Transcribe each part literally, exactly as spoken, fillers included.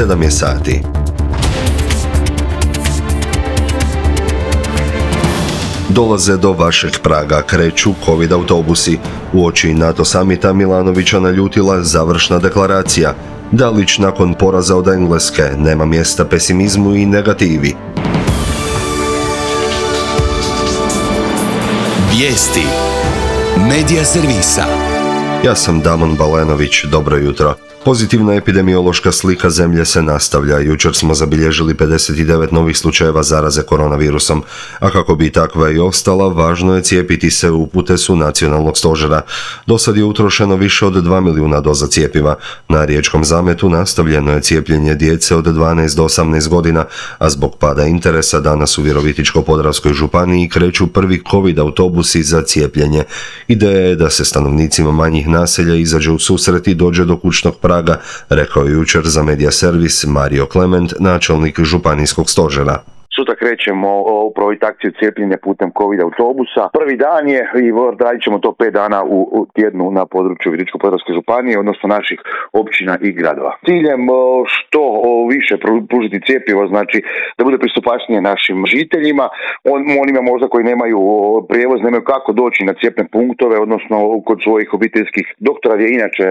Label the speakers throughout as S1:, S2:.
S1: sedam je sati. Dolaze do vašeg praga, kreću Covid autobusi. Uoči NATO samita Milanovića naljutila završna deklaracija. Dalić nakon poraza od Engleske, nema mjesta pesimizmu i negativi.
S2: Vijesti Medija servisa.
S1: Ja sam Damon Balenović, dobro jutro. Pozitivna epidemiološka slika zemlje se nastavlja. Jučer smo zabilježili pedeset devet novih slučajeva zaraze koronavirusom, a kako bi takva i ostala, važno je cijepiti se, upute su nacionalnog stožera. Do sad je utrošeno više od dva milijuna doza cjepiva. Na riječkom zametu nastavljeno je cijepljenje djece od dvanaest do osamnaest godina, a zbog pada interesa danas u Virovitičko-podravskoj županiji kreću prvi Covid autobusi za cijepljenje. Ideja je da se stanovnicima manjih naselja izađe u susret i dođe do kućnog praga, rekao je jučer za Medija servis Mario Klement, načelnik županijskog stožera.
S3: Sutra krećemo u projekt akciju cijepljenja putem Covid autobusa. Prvi dan je i radit ćemo to pet dana u, u tjednu na području Virovitičko-podravske županije, odnosno naših općina i gradova. Ciljem što više pružiti cjepivo, znači da bude pristupačnije našim žiteljima, on, onima možda koji nemaju prijevoz, nemaju kako doći na cijepne punktove, odnosno kod svojih obiteljskih doktora gdje inače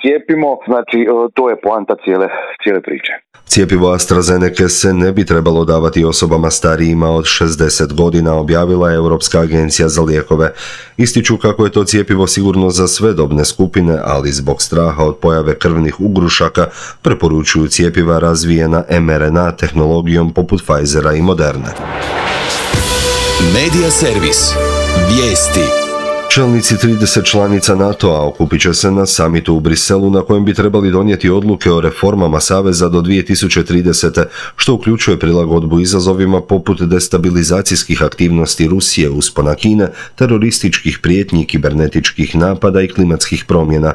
S3: cijepimo, znači to je poanta cijele, cijele priče.
S1: Cjepivo AstraZeneca se ne bi trebalo davati osobama starijima od šezdeset godina, objavila je Europska agencija za lijekove. Ističu kako je to cjepivo sigurno za sve dobne skupine, ali zbog straha od pojave krvnih ugrušaka preporučuju cjepiva razvijena em er en a tehnologijom poput Pfizera i Moderne.
S2: Medija servis. Vijesti.
S1: Čelnici trideset članica NATO-a okupit će se na samitu u Briselu na kojem bi trebali donijeti odluke o reformama Saveza do dvije tisuće tridesete, što uključuje prilagodbu izazovima poput destabilizacijskih aktivnosti Rusije, uspona Kine, terorističkih prijetnji, kibernetičkih napada i klimatskih promjena.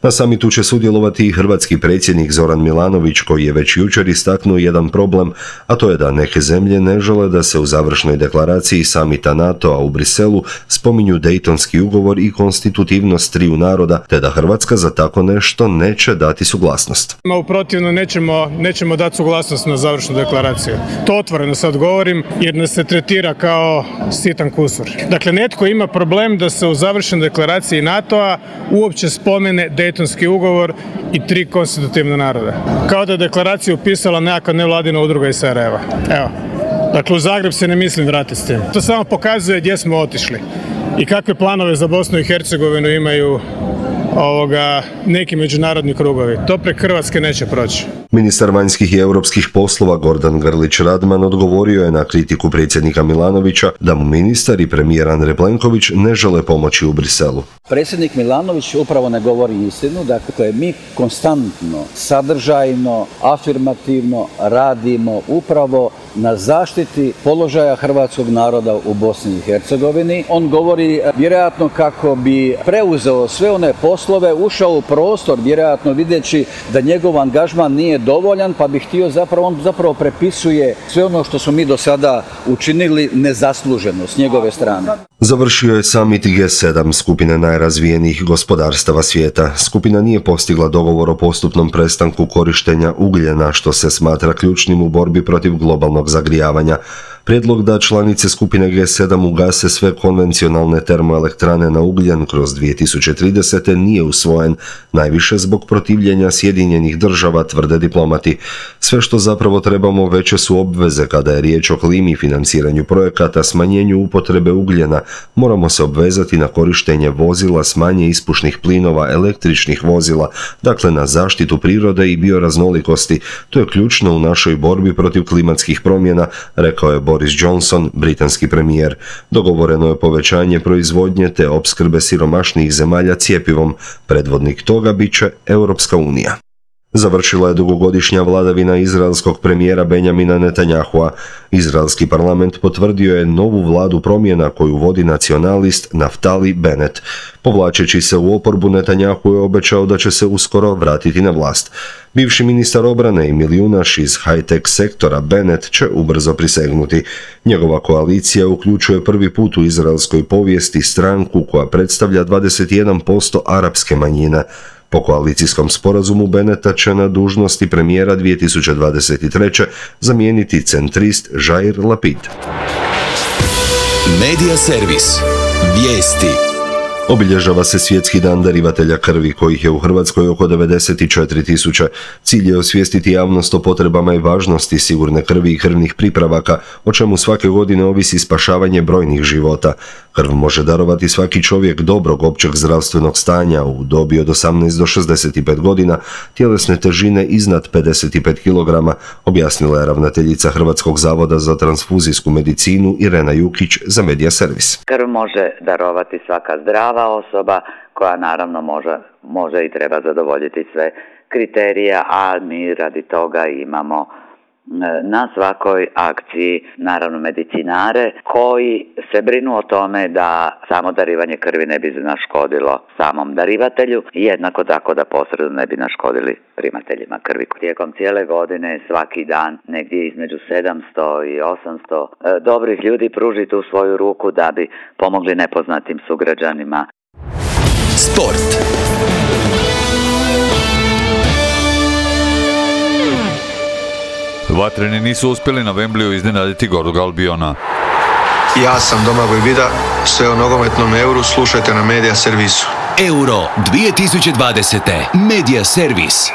S1: Na samitu će sudjelovati i hrvatski predsjednik Zoran Milanović, koji je već jučer istaknuo jedan problem, a to je da neke zemlje ne žele da se u završnoj deklaraciji samita NATO-a u Briselu spominju Dejtonski ugovor i konstitutivnost triju naroda, te da Hrvatska za tako nešto neće dati suglasnost.
S4: U protivno nećemo, nećemo dati suglasnost na završnu deklaraciju. To otvoreno sad govorim jer nas se tretira kao sitan kusur. Dakle, netko ima problem da se u završnoj deklaraciji NATO-a uopće spomene Dejtonski ugovor i tri konstitutivna naroda. Kao da je deklaraciju upisala nekakva nevladina udruga iz Sarajeva. Evo. Dakle, u Zagreb se ne mislim vratiti s tim. To samo pokazuje gdje smo otišli i kakve planove za Bosnu i Hercegovinu imaju ovoga, neki međunarodni krugovi. To prek Hrvatske neće proći.
S1: Ministar vanjskih i europskih poslova Gordan Grlić Radman odgovorio je na kritiku predsjednika Milanovića da mu ministar i premijer Andrej Plenković ne žele pomoći u Briselu.
S5: Predsjednik Milanović upravo ne govori istinu, dakle mi konstantno, sadržajno, afirmativno radimo upravo na zaštiti položaja hrvatskog naroda u Bosni i Hercegovini. On govori vjerojatno kako bi preuzeo sve one poslove, ušao u prostor, vjerojatno videći da njegov angažman nije dovoljan, pa bi htio zapravo, on zapravo prepisuje sve ono što smo mi do sada učinili nezasluženo s njegove strane.
S1: Završio je samit G sedam, skupine najrazvijenijih gospodarstava svijeta. Skupina nije postigla dogovor o postupnom prestanku korištenja ugljena, što se smatra ključnim u borbi protiv globalnog zagrijavanja. Prijedlog da članice skupine G sedam ugase sve konvencionalne termoelektrane na ugljen kroz dvije tisuće tridesete nije usvojen, najviše zbog protivljenja Sjedinjenih država, tvrde diplomati. Sve što zapravo trebamo veće su obveze kada je riječ o klimi i financiranju projekata, smanjenju upotrebe ugljena. Moramo se obvezati na korištenje vozila s manje ispušnih plinova, električnih vozila, dakle na zaštitu prirode i bioraznolikosti. To je ključno u našoj borbi protiv klimatskih promjena, rekao je Boris Johnson, britanski premijer. Dogovoreno je povećanje proizvodnje te opskrbe siromašnijih zemalja cjepivom. Predvodnik toga bit će Europska unija. Završila je dugogodišnja vladavina izraelskog premijera Benjamina Netanyahua. Izraelski parlament potvrdio je novu vladu promjena koju vodi nacionalist Naftali Bennett. Povlačeći se u oporbu, Netanyahu je obećao da će se uskoro vratiti na vlast. Bivši ministar obrane i milijunaš iz high-tech sektora Bennett će ubrzo prisegnuti. Njegova koalicija uključuje prvi put u izraelskoj povijesti stranku koja predstavlja dvadeset jedan posto arapske manjine. Po koalicijskom sporazumu Beneta će na dužnosti premijera dvije tisuće dvadeset treće zamijeniti centrist Jair Lapid.
S2: Medija servis. Vijesti.
S1: Obilježava se Svjetski dan darivatelja krvi, kojih je u Hrvatskoj oko devedeset četiri tisuće. Cilj je osvijestiti javnost o potrebama i važnosti sigurne krvi i krvnih pripravaka, o čemu svake godine ovisi spašavanje brojnih života. Krv može darovati svaki čovjek dobrog općeg zdravstvenog stanja u dobi od osamnaest do šezdeset pet godina, tjelesne težine iznad pedeset pet kilograma, objasnila je ravnateljica Hrvatskog zavoda za transfuzijsku medicinu Irena Jukić za Medija servis.
S6: Krv može darovati svaka zdrava osoba koja naravno može, može i treba zadovoljiti sve kriterije, a mi radi toga imamo na svakoj akciji naravno medicinare koji se brinu o tome da samo darivanje krvi ne bi naškodilo samom darivatelju i jednako tako da posredno ne bi naškodili primateljima krvi. Tijekom cijele godine svaki dan negdje između sedamsto i osamsto dobrih ljudi pruži tu svoju ruku da bi pomogli nepoznatim sugrađanima.
S2: Sport.
S7: Vatreni nisu uspjeli na Wembleyu iznenaditi Gorog Albiona.
S8: Ja sam Domagoj Vida, sve o nogometnom Euru slušajte na Medija servisu.
S2: Euro dvije tisuće dvadesete. Medija servis.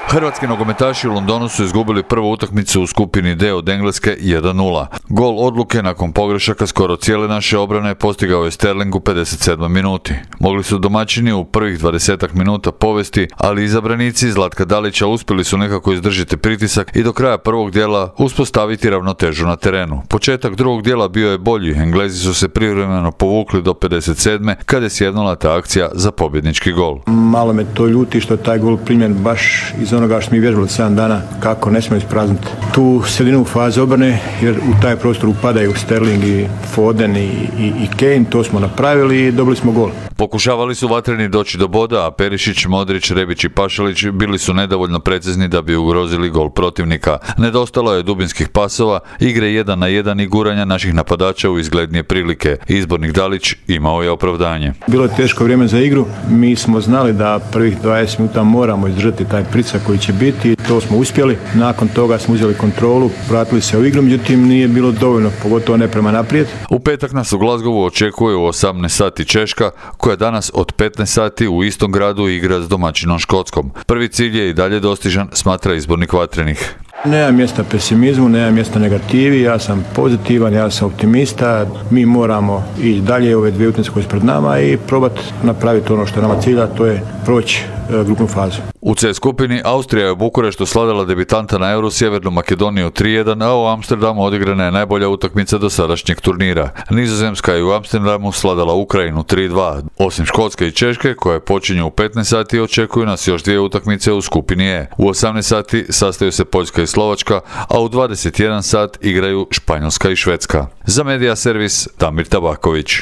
S7: Hrvatski nogometaši u Londonu su izgubili prvu utakmicu u skupini D od Engleske jedan nula. Gol odluke nakon pogrešaka skoro cijele naše obrane postigao je Sterling u pedeset sedmoj minuti. Mogli su domaćini u prvih dvadesetak minuta povesti, ali izabranici Zlatka Dalića uspjeli su nekako izdržati pritisak i do kraja prvog dijela uspostaviti ravnotežu na terenu. Početak drugog dijela bio je bolji, Englezi su se privremeno povukli do pedeset sedme kada je sjednula ta akcija za pobjednički gol.
S9: Malo me to ljuti što je taj gol primljen baš iz onoga što mi vježbali sedam dana, kako ne smijemo isprazniti tu sredinu faze obrane, jer u taj prostor upadaju Sterling i Foden i, i, i Kane, to smo napravili i dobili smo gol.
S7: Pokušavali su vatreni doći do boda, a Perišić, Modrić, Rebić i Pašalić bili su nedovoljno precizni da bi ugrozili gol protivnika. Nedostalo je dubinskih pasova, igre jedan na jedan i guranja naših napadača u izglednije prilike. Izbornik Dalić imao je opravdanje.
S9: Bilo je teško vrijeme za igru, mi smo znali da prvih dvadeset minuta moramo izdržati taj pritisak koji će biti, to smo uspjeli. Nakon toga smo uzeli kontrolu, vratili se u igru, međutim nije bilo dovoljno, pogotovo ne prema naprijed.
S7: U petak nas u Glasgowu očekuje u osamnaest sati Češka, koja danas od petnaest sati u istom gradu igra s domaćinom Škotskom. Prvi cilj je i dalje dostižan, smatra izbornik Vatrenih.
S9: Nema mjesta pesimizmu, nema mjesta negativi, ja sam pozitivan, ja sam optimista, mi moramo i dalje ove dvije utakmice koje su pred nama i probati napraviti ono što je nama cilja, to je proći e, grupnu fazu.
S7: U C skupini Austrija je u Bukureštu slavila debitanta na Euru Sjevernu Makedoniju tri jedan, a u Amsterdamu odigrana je najbolja utakmica do sadašnjeg turnira. Nizozemska je u Amsterdamu slavila Ukrajinu tri dva. Osim Škotske i Češke, koje počinju u petnaest sati, očekuju nas još dvije utakmice u skupini E. U osamnaest sati sastaju se Poljska i Slovačka, a u dvadeset jedan sat igraju Španjolska i Švedska. Za Medija servis Damir Tabaković.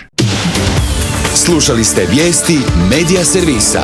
S2: Slušali ste vijesti Medija servisa.